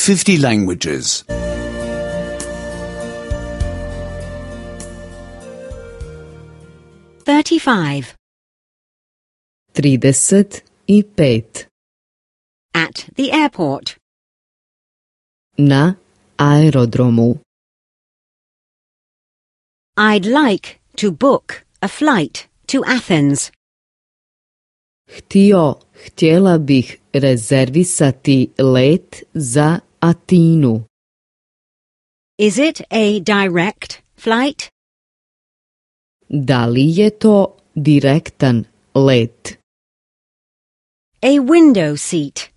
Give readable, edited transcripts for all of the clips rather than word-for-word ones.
50 languages. 35. 35. At the airport. Na aerodromu. I'd like to book a flight to Athens. Htjela bih rezervisati let za Atinu. Is it a direct flight? Da li je to direktan let? A window seat.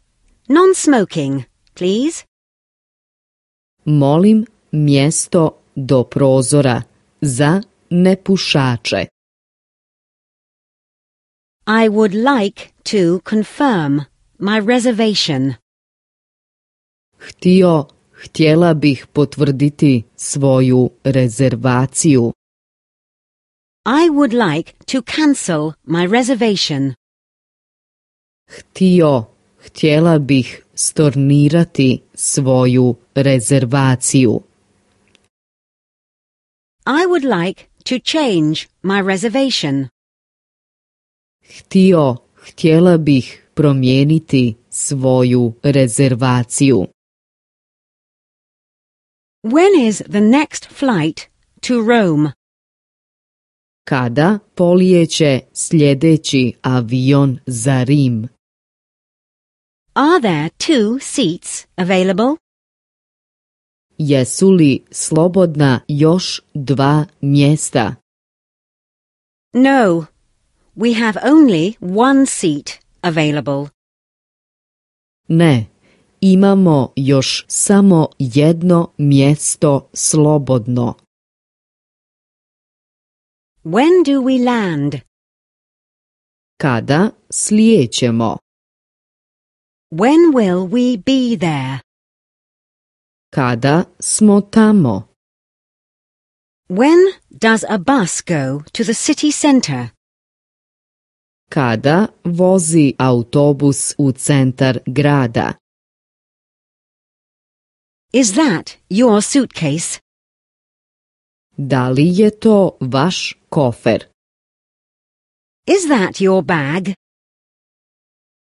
Non-smoking, please. Molim mjesto do prozora za nepušače. I would like to confirm my reservation. Htjela bih potvrditi svoju rezervaciju. I would like to cancel my reservation. Htjela bih stornirati svoju rezervaciju. I would like to change my reservation. Htjela bih promijeniti svoju rezervaciju. When is the next flight to Rome? Kada polijeće sljedeći avion za Rim? Are there 2 seats available? Jesu li slobodna još 2 mjesta? No, we have only 1 seat available. Ne, imamo još samo jedno mjesto slobodno. When do we land? Kada slijećemo? When will we be there? Kada smo tamo? When does a bus go to the city centre? Kada vozi autobus u centar grada? Is that your suitcase? Da li je to vaš kofer? Is that your bag?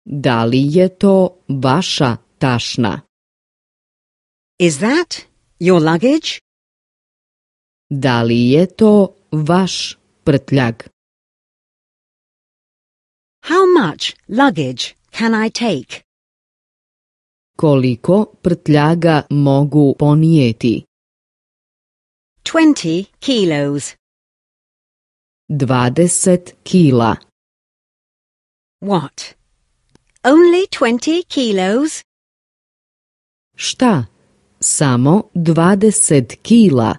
Da li je to vaša tašna? Is that your luggage? Da li je to vaš prtljag? How much luggage can I take? Koliko prtljaga mogu ponijeti? 20 kilos. 20 kila. What? Only 20 kilos? Šta? Samo 20 kila.